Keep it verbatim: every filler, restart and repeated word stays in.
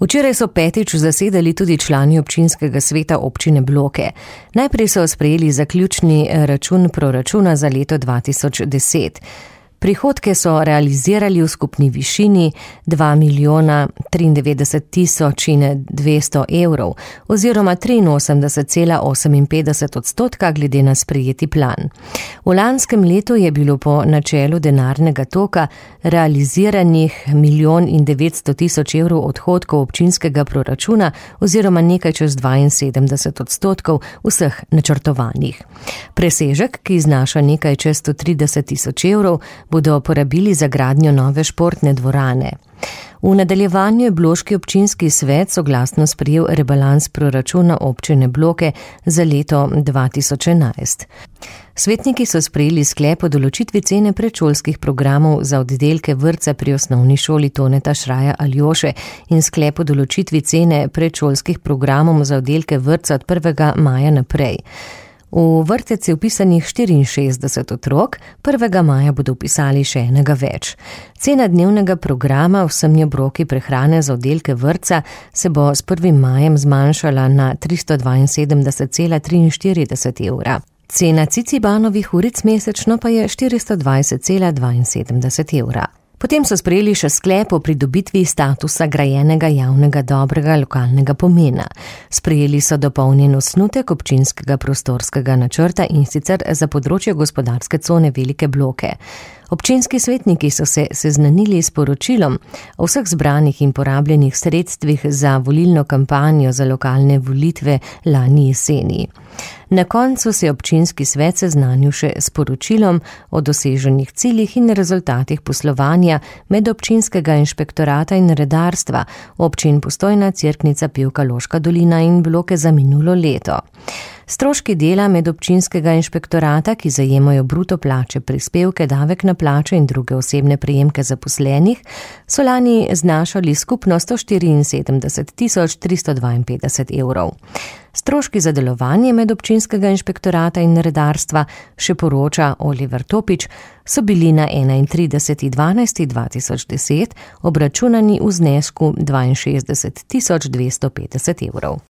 Včeraj so petič zasedali tudi člani občinskega sveta občine Bloke. Najprej so sprejeli zaključni račun proračuna za leto dva tisoč deset. Prihodke so realizirali v skupni višini dva milijona triindevetdeset tisoč dvesto evrov oziroma triinosemdeset cela oseminpetdeset odstotka glede na sprejeti plan. V lanskem letu je bilo po načelu denarnega toka realiziranih milijon in devetsto tisoč evrov odhodkov občinskega proračuna oziroma nekaj čez dvainsedemdeset odstotkov vseh načrtovanih. Presežek, ki znaša nekaj čez sto trideset tisoč evrov, bodo porabili za gradnjo nove športne dvorane. V nadaljevanju je bloški občinski svet soglasno sprejel rebalans proračuna občine Bloke za leto dva tisoč enajst. Svetniki so sprejeli sklep o določitvi cene predšolskih programov za oddelke vrtca pri osnovni šoli Toneta Šraja Aljoše in sklep o določitvi cene predšolskih programov za oddelke vrtca od prvega maja naprej. V vrtec je vpisanih štiriinšestdeset otrok, prvega maja bodo vpisali še enega več. Cena dnevnega programa vsemi obroki prehrane za oddelke vrtca se bo s prvim majem zmanjšala na tristo dvainsedemdeset cela triinštirideset evra. Cena Cicibanovih uric mesečno pa je štiristo dvajset cela dvainsedemdeset evra. Potem so sprejeli še sklep o pridobitvi statusa grajenega javnega dobrega lokalnega pomena. Sprejeli so dopolnjen osnutek občinskega prostorskega načrta in sicer za področje gospodarske cone Velike Bloke. Občinski svetniki so se seznanili s poročilom o vseh zbranih in porabljenih sredstvih za volilno kampanjo za lokalne volitve lani jeseni. Na koncu se je občinski svet seznanil še s poročilom o doseženih ciljih in rezultatih poslovanja medobčinskega inšpektorata in redarstva občin Postojna, Cerknica, Pivka, Loška dolina in Bloke za minulo leto. Stroški dela medobčinskega inšpektorata, ki zajemajo bruto plače, prispevke, davek na plače in druge osebne prejemke zaposlenih, so lani znašali skupno sto štiriinsedemdeset tisoč tristo dvainpetdeset evrov. Stroški za delovanje medobčinskega inšpektorata in redarstva, še poroča Oliver Topič, so bili na enaintrideseti dvanajsti dva tisoč deset obračunani v znesku dvainšestdeset tisoč dvesto petdeset evrov.